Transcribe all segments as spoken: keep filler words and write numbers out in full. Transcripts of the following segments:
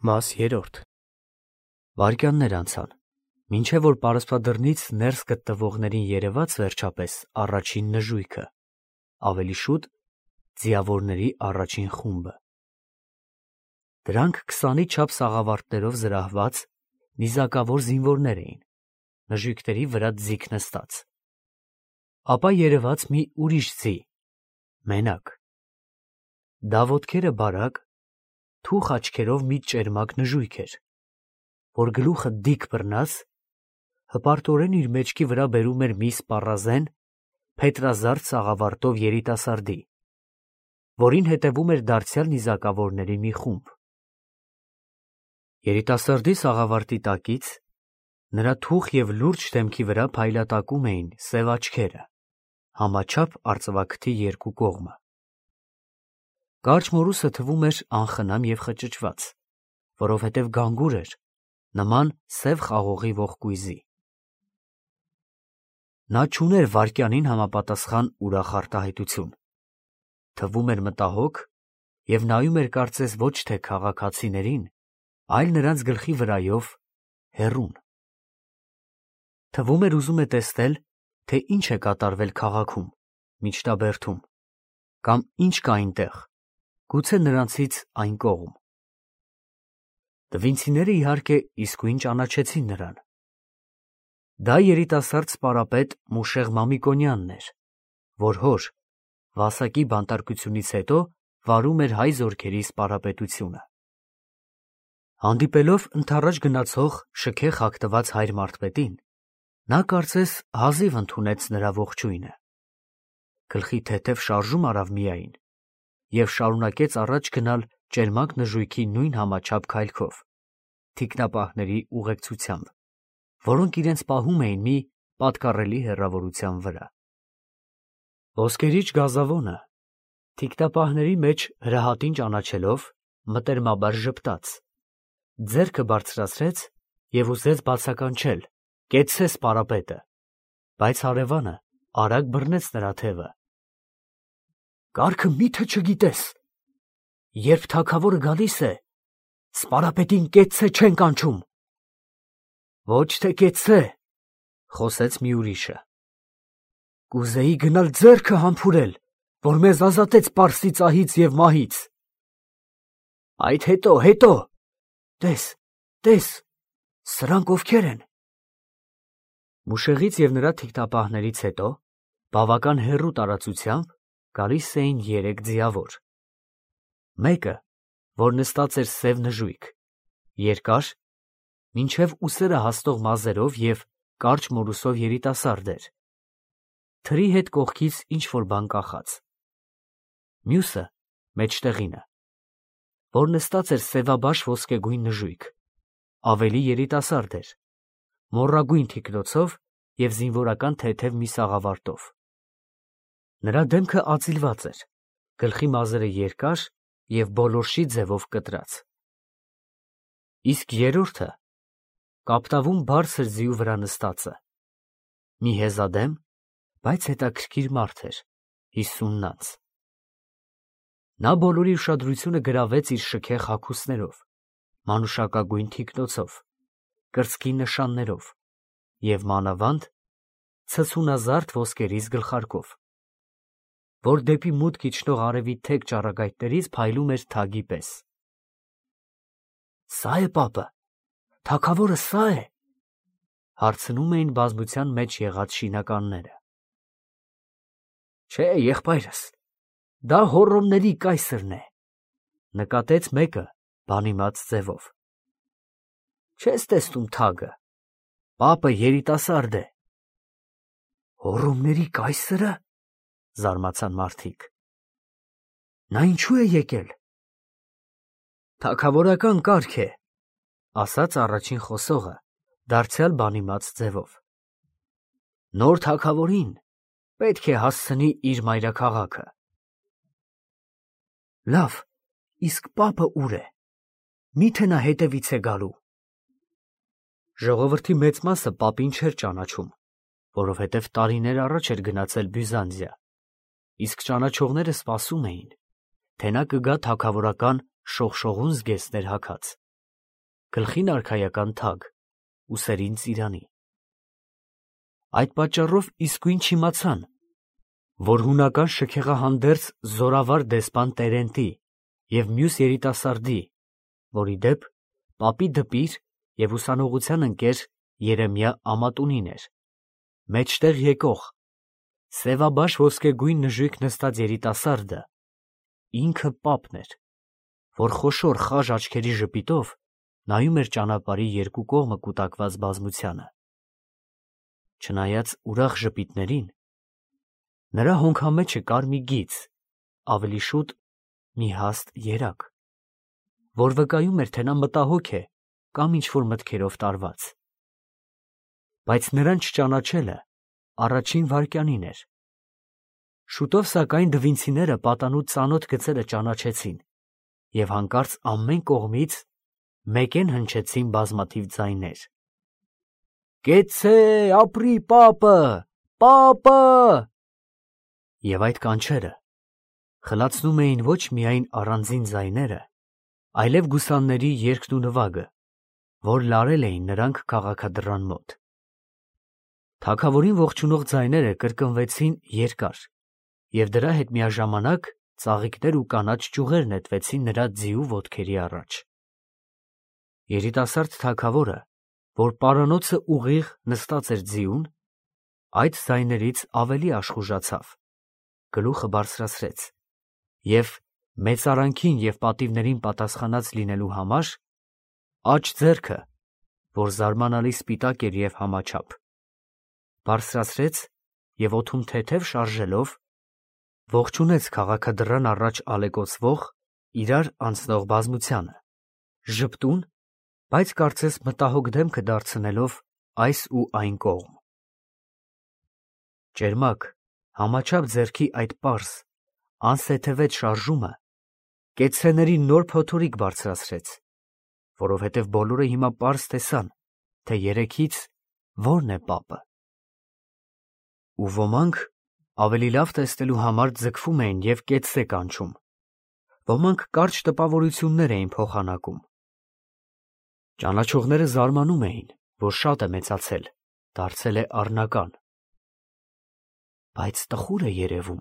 Մաս երրորդ Վայրկյաններ անցան, մինչև որ պարսպադռնից ներս գտնվողներին երևաց վերջապես առաջին նժույգը, ավելի շուտ ձիավորների առաջին խումբը. դրանք քսանի չափ սաղավարտներով զրահված նիզակավոր զինվորներ էին, նժույգների վրա ձիգ նստած. ապա երևաց մի ուրիշ ձի, մենակ. դա ոտքերը բարակ, թուխ աչքերով մի ճերմակ նժույգ էր, որ գլուխը դիք բռնած, հպարտորեն իր մեջքի վրա բերում էր մի սպառազեն, փետրազարդ սաղավարտով երիտասարդի, որին հետևում էր դարձյալ նիզակավորների մի խումբ. երիտասարդի սաղավարտի տակից նրա թուխ և լուրջ դեմքի վրա փայլատակում էին սև աչքերը, համաչափ արծվաքթի երկու կողմը. կարճ մորուսը թվում էր անխնամ և խճճված, որովհետև գանգուր էր, նման սև խաղողի ողկույզի. նա չուներ վայրկյանին համապատասխան ուրախ արտահայտություն, թվում էր մտահոգ և նայում էր կարծես ոչ թե քաղաքացիներին, այլ նրանց գլխի վրայով հեռուն. թվում էր ուզում է տեսնել, թե ինչ է կատարվել քաղաքում, միջնաբերդում, կամ ինչ կա այնտեղ, գուցե նրանցից այն կողմ. տվինցիները իհարկե իսկույն ճանաչեցին նրան. դա երիտասարդ սպարապետ Մուշեղ Մամիկոնյանն էր, որ հոր, Վասակի բանտարկությունից հետո վարում էր հայ զորքերի սպարապետությունը. հանդիպելով ընդառաջ գնացող շքեղ հագնված հայր մարդպետին, նա կարծես հազիվ ընդունեց նրա ողջույնը, գլխի թեթև շարժում արավ միայն և շարունակեց առաջ գնալ ճերմակ նժույգի նույն համաչափ քայլքով, թիկնապահների ուղեկցությամբ, որոնք իրենց պահում էին մի պատկառելի հեռավորության վրա. ոսկերիչ գազավոնը, թիկնապահների մեջ հրահատին ճանաչելով, մտերմաբար ժպտաց, ձեռքը բարձրացրեց և ուզեց բացականչել. «Կեցցե սպարապետը», բայց հարևանը արագ բռնեց նրա թևը. «Կարգը մի՞թե չգիտես, երբ թագավորը գալիս է, սպարապետին կեցցե չեն կանչում»։ «Ոչ թե կեցցե», խոսեց մի ուրիշը. «Կուզեի գնալ ձեռքը համբուրել, որ մեզ ազատեց պարսի ծահից և մահից»։ «Այդ հետո, հետո, տես, տես, սրանք ովքեր են»։ Մուշեղից և նրա թիկնապահներից հետո, բավական հեռու տարածությամբ գալիս էին երեք ձիավոր. մեկը, որ նստած էր սև նժույգ, երկար, մինչև ուսերը հասնող մազերով և կարճ մորուսով երիտասարդ էր, թրի հետ կողքից ինչ-որ բան կախած. մյուսը, մեջտեղինը, որ նստած էր սևաբաշ ոսկեգույն նժույգ, ավելի երիտասարդ էր, մոռագույն թիկնոցով և զինվորական թեթև մի սաղավարտով. նրա դեմքը ածիլված էր, գլխի մազերը երկար և բոլորշի ձևով կտրած. իսկ երրորդը կապտավուն բարձր ձիու վրա նստածը, մի հեզադեմ, բայց հետաքրքիր մարդ էր, հիսունն անց. նա բոլորի ուշադրությունը գրավեց իր շքեղ հագուստներով, մանուշակագույն թիկնոցով, կրծքի նշաններով և մանավանդ ցցունազարդ ոսկերից գլխարկով, որ դեպի մուտք իջնող արևի թեք ճառագայթներից փայլում էր թագի պես. «Սա՞ է պապը, թագավորը սա՞ է», հարցնում էին բազմության մեջ եղած շինականները. «Չէ, եղբայրս, դա Հոռոմների կայսրն է», նկատեց մեկը բանիմաց ձևով. «Չես տեսնում թագը, պապը երիտասարդ է»։ «Հոռոմների կայսրը», զարմացան մարդիկ, «նա ինչու է եկել»։ «Թագավորական կարգ է», ասաց առաջին խոսողը դարձյալ բանիմաց ձևով. «նոր թագավորին պետք է հասցնի իր մայրաքաղաքը»։ «Լավ, իսկ պապը ուր է, մի՞թե նա հետևից է գալու»։ Ժողովրդի մեծ մասը պապին չէր ճանաչում, որովհետև տարիներ առաջ էր գնացել Բյուզանդիա, իսկ ճանաչողները սպասում էին, թե նա կգա թագավորական շողշողուն զգեստներ հագած, գլխին արքայական թագ, ուսերին ծիրանի։ Այդ պատճառով իսկույն չիմացան, որ հունական շքեղահանդերձ զորավար դեսպան Տերենտի և մյուս երիտասարդի, որի դեպ պապի դպիր և ուսանողության ընկեր Երեմիա Ամատունին էր, մեջտեղ եկող, սևաբաշ ոսկեգույն նժույգ նստած երիտասարդը ինքը պապն էր, որ խոշոր խաժ աչքերի ժպիտով նայում էր ճանապարհի երկու կողմը կուտակված բազմությանը։ Չնայած ուրախ ժպիտներին, նրա հոնքամեջը կար մի գիծ, ավելի շուտ մի հաստ երակ, որ վկայում էր, թե նա մտահոգ է կամ ինչ-որ մտքերով տարված։ Բայց նրան չճանաչելը առաջին վայրկյանին էր։ Շուտով, սակայն, դվինցիները պատանու ծանոթ գծերը ճանաչեցին և հանկարծ ամեն կողմից մեկեն հնչեցին բազմաթիվ ձայներ. «Կեցցե, ապրի պապը, պապը»։ Եվ այդ կանչերը խլացնում էին ոչ միայն առանձին ձայները, այլև գուսանների երգն ու նվագը, որ լարել էին նրանք քաղաքադռան մոտ։ Թագավորին ողջունող ձայները կրկնվեցին երկար, և դրա հետ միաժամանակ ծաղիկներ ու կանաչ ճյուղեր նետվեցին նրա ձիու ոտքերի առաջ։ Երիտասարդ թագավորը, որ պարանոցը ուղիղ նստած էր ձիուն, այդ ձայներից ավելի աշխուժացավ, գլուխը բարձրացրեց և, մեծարանքին և պատիվներին պատասխանած լինելու համար, աջ ձեռքը, որ զարմանալի սպիտակ էր և համաչափ, բարձրացրեց և օդում թեթև շարժելով ողջունեց քաղաքադռան առաջ ալեկոծվող, իրար անցնող բազմությանը, ժպտուն, բայց կարծես մտահոգ դեմքը դարձնելով այս ու այն կողմ։ Ճերմակ, համաչափ ձեռքի այդ պարզ, անսեթևետ շարժումը կեցցեների նոր փոթորիկ բարձրացրեց, որովհետև բոլորը հիմա պարզ տեսան, թե երեքից որն է պապը։ Ու ոմանք ավելի լավ տեսնելու համար ձգվում էին և կեցցե կանչում, ոմանք կարճ տպավորություններ էին փոխանակում։ Ճանաչողները զարմանում էին, որ շատ է մեծացել, դարձել է առնական, բայց տխուր է երևում։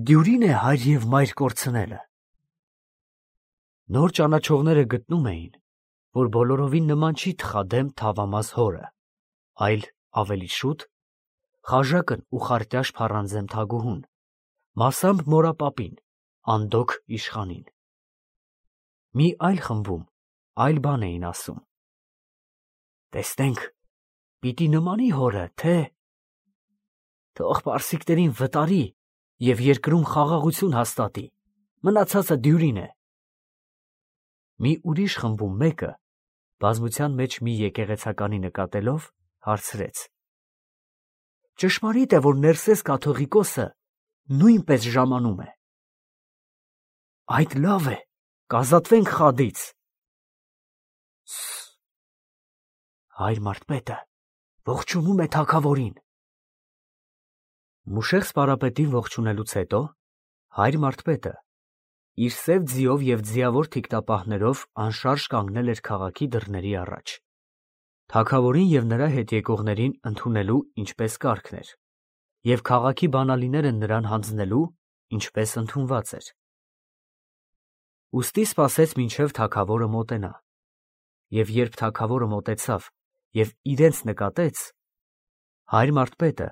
Դյուրին է հայր և մայր կորցնելը։ Նոր ճանաչողները գտնում էին, որ բոլորովին նման չի թխադեմ թավամաս հորը, այլ ավելի շուտ խաժակն ու խարտյաշ փառանձեմ թագուհուն, մասամբ մորապապին, անդոգ իշխանին։ Մի այլ խմբում այլ բան էին ասում. «Տեսնենք, պիտի նմանի հորը, թե…» «Թող պարսիկներին վտարի և երկրում խաղաղություն հաստատի, մնացածը դյուրին է»։ Մի ուրիշ խմբում մեկը, բազմության մեջ մի եկեղեցականի նկատելով, հարցրեց. «Ճշմարի՞տ է, որ Ներսես կաթողիկոսը նույնպես ժամանում է»։ «Այդ լավ է, կազատվենք խադից»։ Ս… Հայր մարդպետը ողջունում է թագավորին։ Մուշեղ սպարապետին ողջունելուց հետո հայր մարդպետը իր սև ձիով և ձիավոր թիկնապահներով անշարժ կանգնել էր քաղաքի դռների առաջ, թագավորին և նրա հետ եկողներին ընդունելու ինչպես կարգն էր, և քաղաքի բանալիները նրան հանձնելու, ինչպես ընդունված էր։ Ուստի սպասեց, մինչև թագավորը մոտենա, և երբ թագավորը մոտեցավ և իրենց նկատեց, հայր մարդպետը,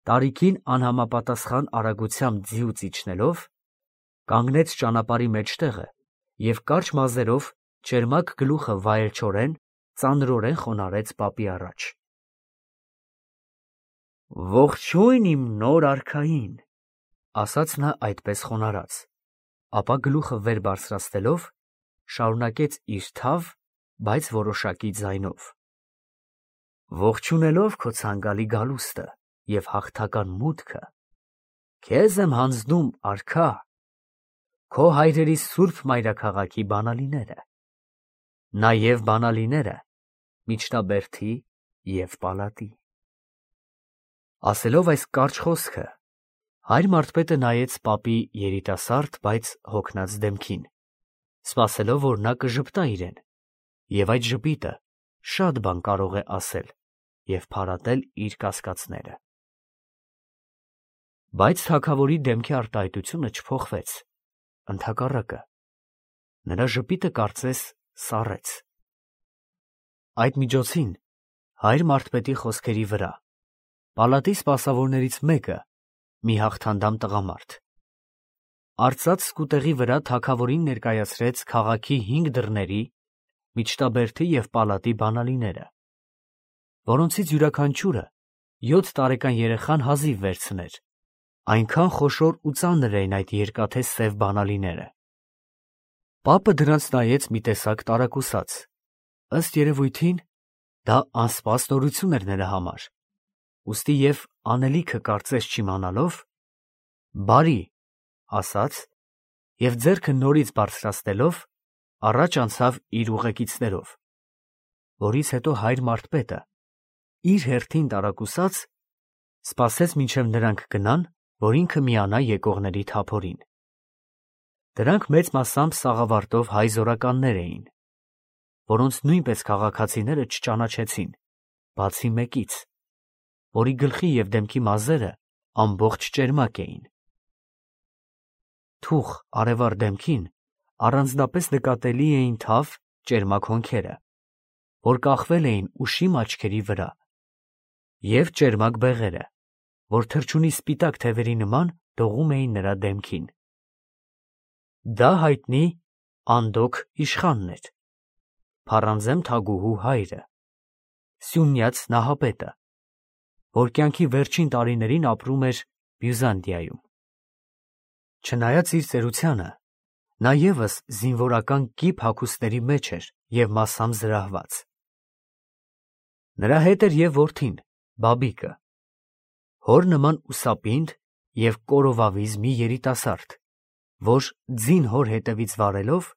տարիքին անհամապատասխան արագությամբ ձիուց իջնելով, կանգնեց ճանապարհի մեջտեղը և կարճ մազերով ճերմակ գլուխը վայելչորեն, ծանրորեն խոնարհեց պապի առաջ։ «Ողջույն իմ նոր արքային», ասաց նա այդպես խոնարհած, ապա գլուխը վեր բարձրացնելով, շարունակեց իր թավ, բայց որոշակի ձայնով. «Ողջունելով քո ցանկալի գալուստը և հաղթական մուտքը, քեզ եմ հանձնում, արքա, քո հայրերի սուրբ մայրաքաղաքի բանալիները, նաև բանալիները միջնաբերդի և պալատի»։ Ասելով այս կարճ խոսքը, հայր մարդպետը նայեց պապի երիտասարդ, բայց հոգնած դեմքին սպասելով, որ նա կժպտա իրեն, և այդ ժպիտը շատ բան կարող է ասել և փարատել իր կասկածները։ Բայց թագավորի դեմքի արտահայտությունը չփոխվեց, ընդհակառակը, նրա ժպիտը կարծես սառեց։ Այդ միջոցին հայր մարդպետի խոսքերի վրա պալատի սպասավորներից մեկը, մի հաղթանդամ տղամարդ, արծաթ սկուտեղի վրա թագավորին ներկայացրեց քաղաքի հինգ դռների, միջտաբերդի և պալատի բանալիները, որոնցից յուրաքանչյուրը յոթ տարեկան երեխան հազիվ վերցներ, այնքան խոշոր ու ծանր էին այդ երկաթե սև բանալիները։ Պապը դրանց նայեց մի տեսակ տարակուսած, ըստ երևույթին, դա անսպաստ նորություն էր նրա համար, ուստի և անելիքը կարծես չիմանալով, բարի, ասաց և ձեռքը նորից բարձրացնելով, առաջ անցավ իր ուղեկիցներով, որից հետո հայր մարդպետը, իր հերթին տարակուսած, սպասեց մինչև նրանք գնան, որ ինքը միանա եկողների թափորին։ Դրանք մեծ մասամբ սաղավարտով հայ զորականներ էին, որոնց նույնպես քաղաքացիները չճանաչեցին, բացի մեկից, որի գլխի և դեմքի մազերը ամբողջ ճերմակ էին։ Թուխ արևառ դեմքին առանձնապես նկատելի էին թավ ճերմակ հոնքերը, որ կախվել էին ուշիմ աչքերի վրա, և ճերմակ բեղերը, որ թռչունի սպիտակ թևերի նման դողում էին նրա դեմքին։ Դա հայտնի Անդոք իշխանն էր, Փառանձեմ թագուհու հայրը, Սյունյաց նահապետը, որ կյանքի վերջին տարիներին ապրում էր Բյուզանդիայում։ Չնայած իր ծերությանը, նա ևս զինվորական կիպ հագուստների մեջ էր և մասամբ զրահված։ Նրա հետ էր և որդին, Բաբիկը, հոր նման ուսապինդ և կորովավիզ մի երիտասարդ, որ ձին հոր հետևից վարելով,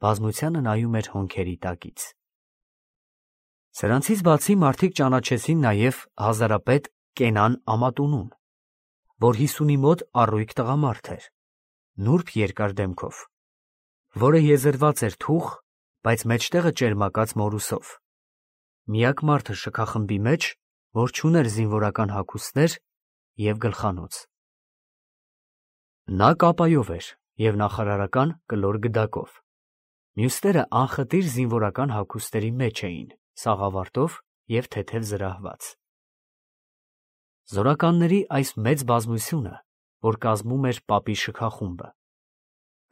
բազմությանը նայում էր հոնքերի տակից։ Սրանցից բացի մարդիկ ճանաչեցին նաև հազարապետ Կենան Ամատունուն, որ հիսունի մոտ առույգ տղամարդ էր, նուրբ երկար դեմքով, որը եզերված էր թուխ, բայց մեջտեղը ճերմակած մորուսով, միակ մարդը շքախմբի մեջ, որ չուներ զինվորական հագուստներ և գլխանոց։ Նա կապայով էր և նախարարական կլոր գդակով, մյուսները անխտիր զինվորական հագուստերի մեջ էին, սաղավարտով և թեթև զրահված։ Զորականների այս մեծ բազմությունը, որ կազմում էր պապի շքախումբը,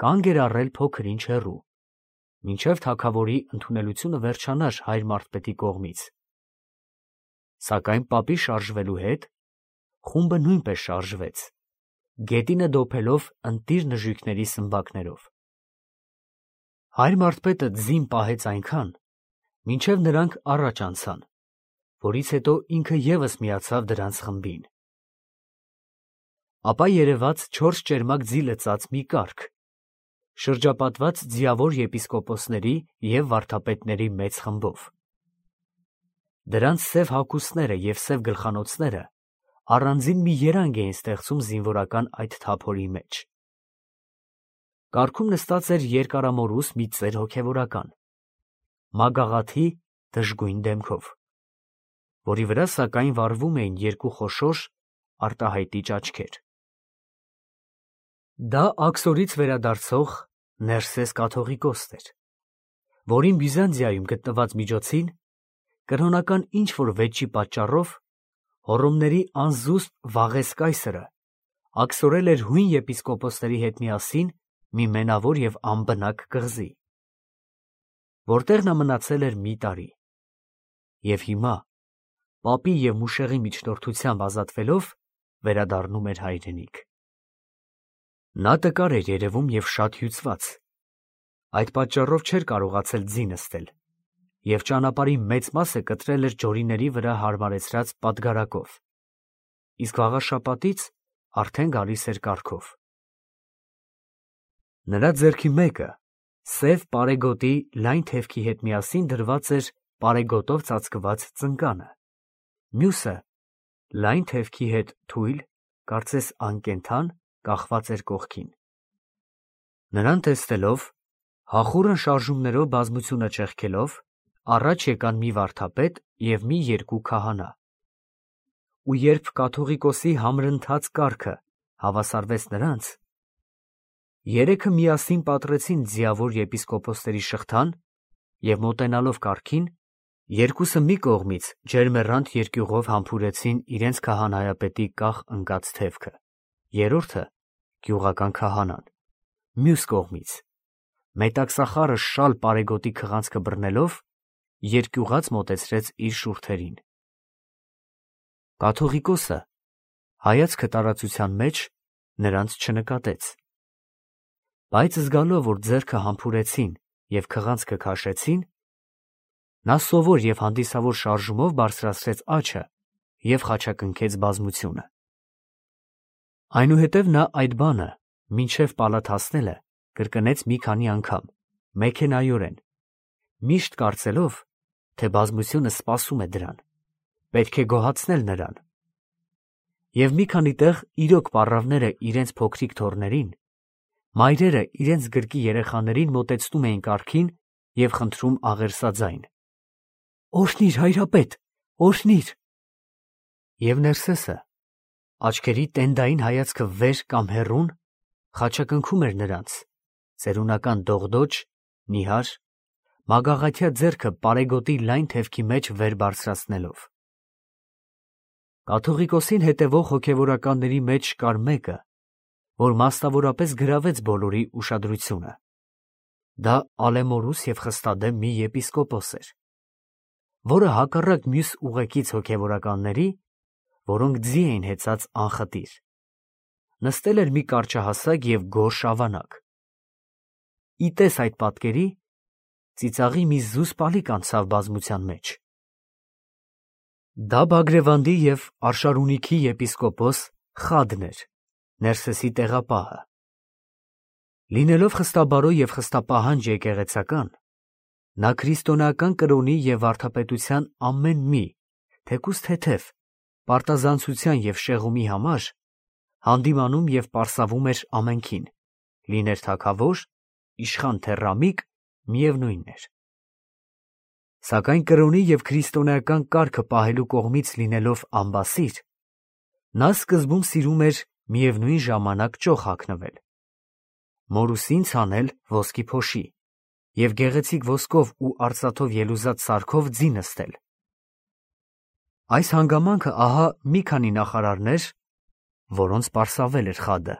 կանգ էր առել փոքր-ինչ հեռու, մինչև թագավորի ընդունելությունը վերջանար հայր մարդպետի կողմից։ Սակայն պապի շարժվելու հետ խումբը նույնպես շարժվեց, գետինը դոփելով ընտիր նժույգների սմբակներով։ Հայր մարդպետը ձին պահեց այնքան, մինչև նրանք առաջ անցան, որից հետո ինքը ևս միացավ դրանց խմբին։ Ապա երևաց չորս ճերմակ ձի լցած մի կառք, շրջապատված ձիավոր եպիսկոպոսների և վարդապետների մեծ խմբով։ Դրանց սև հագուստները և սև գլխանոցները առանձին մի երանգ էին ստեղծում զինվորական այդ թափորի մեջ։ Կառքում նստած էր երկարամորուս մի ծեր հոգևորական, մագաղաթի դժգույն դեմքով, որի վրա սակայն վառվում էին երկու խոշոր արտահայտիչ աչքեր։ Դա Աքսորից վերադարձող Ներսես կաթողիկոսն էր, որին Բյուզանդիայում գտնված միջոցին կրոնական ինչ-որ վեճի պատճառով Հոռոմների անզուսպ Վաղես կայսրը աքսորել էր հույն եպիսկոպոսների հետ միասին մի մենավոր և անբնակ կղզի, որտեղ նա մնացել էր մի տարի, և հիմա, պապի և մուշեղի միջնորդությամբ ազատվելով, վերադառնում էր հայրենիք։ Նա տկար էր երևում և շատ հյուծված, այդ պատճառով չէր կարողացել ձի նստել, և ճանապարհի մեծ մասը կտրել էր ջորիների վրա հարմարեցրած պատգարակով, իսկ վաղաշաբաթից արդեն գալիս էր կառքով։ Նրա ձեռքի մեկը սև պարեգոտի լայն թևքի հետ միասին դրված էր պարեգոտով ծածկված ծնկանը, մյուսը լայն թևքի հետ թույլ, կարծես անկենդան, կախված էր կողքին։ Նրան տեսնելով, Հախուռն շարժումներով բազմությունը ճեղքելով, առաջ եկան մի վարդապետ և մի երկու քահանա։ Ու երբ կաթողիկոսի համրընթաց կառքը հավասարվեց նրանց, երեքը միասին պատռեցին ձիավոր եպիսկոպոսների շղթան և մոտենալով կառքին, երկուսը մի կողմից ջերմեռանդ երկյուղով համբուրեցին իրենց քահանայապետի կախ ընկած թևքը, երրորդը գյուղական քահանան, մյուս կողմից, մետաքսախարը շալ պարեգոտի քղանցքը բռնելով, երկյուղած մոտեցրեց իր շուրթերին։ Կաթողիկոսը հայացքը տարածության մեջ նրանց չնկատեց, բայց զգալով, որ ձեռքը համբուրեցին և քղանցքը քաշեցին, նա սովոր և հանդիսավոր շարժումով բարձրացրեց աջը և խաչակնքեց բազմությունը։ Այնուհետև նա այդ բանը մինչև պալատ հասնելը կրկնեց մի քանի անգամ, մեքենայորեն, միշտ կարծելով, թե բազմությունը սպասում է դրան, պետք է գոհացնել նրան։ Եվ մի քանի տեղ իրոք պառավները իրենց փոքրիկ թոռներին, մայրերը իրենց գրկի երեխաներին մոտեցնում էին կառքին և խնդրում աղերսաձայն. «Օրհնի՛ր, հայրապետ, օրհնի՛ր»։ Եվ Ներսեսը, աչքերի տենդային հայացքը վեր կամ հեռուն, խաչակնքում էր նրանց, ծերունական դողդոջ, նիհար, մագաղաթյա ձեռքը պարեգոտի լայն թևքի մեջ վեր բարձրացնելով։ Կաթողիկոսին հետևող հոգևորականների մեջ կար մեկը, որ մասնավորապես գրավեց բոլորի ուշադրությունը։ Դա ալեմորուս և խստադեմ մի եպիսկոպոս էր, որը հակառակ մյուս ուղեկից հոգևորականների, որոնք ձի էին հեծած անխտիր, նստել էր մի կարճահասակ և գորշ ավանակ։ Ի տես այդ պատկերի, ծիծաղի մի զուսպ ալիք անցավ բազմության մեջ։ Դա Բագրևանդի և Արշարունիքի եպիսկոպոս Խադն էր, Ներսեսի տեղապահը։ Լինելով խստաբարո և խստապահանջ եկեղեցական, նա քրիստոնեական կրոնի և վարդապետության ամեն մի, թեկուզ թեթև, պարտազանցության և շեղումի համար հանդիմանում և պարսավում էր ամենքին, լիներ թագավոր, իշխան թե ռամիկ, միևնույն էր։ Սակայն կրոնի և քրիստոնեական կարգը պահելու կողմից լինելով անբասիր, նա սկզբում սիրում էր միևնույն ժամանակ ճոխ հագնվել, մորուսին ցանել ոսկի փոշի և գեղեցիկ ոսկով ու արծաթով ելուզած սարքով ձի նստել։ Այս հանգամանքը ահա մի քանի նախարարներ, որոնց պարսավել էր Խադը,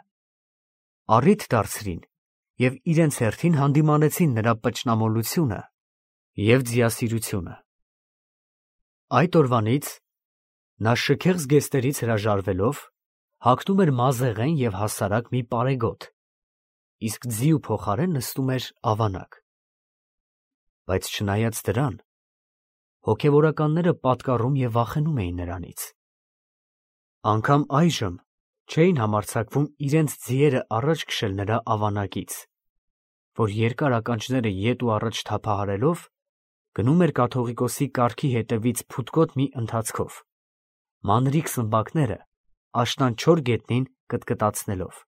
առիթ դարձրին և իրենց հերթին հանդիմանեցին նրա պճնամոլությունը և ձիասիրությունը։ Այդ օրվանից նա շքեղ զգեստներից հրաժարվելով հագնում էր մազեղեն և հասարակ մի պարեգոտ, իսկ ձիու փոխարեն նստում էր ավանակ։ Բայց չնայած դրան, հոգևորականները պատկառում և վախենում էին նրանից։ Անգամ այժմ չէին համարձակվում իրենց ձիերը առաջ քշել նրա ավանակից, որ երկար ականջները ետ ու առաջ թափահարելով, գնում էր կաթողիկոսի կառքի հետևից փութկոտ մի ընթացքով, մանրիկ սմբակները աշնան չոր գետնին կտկտացնելով։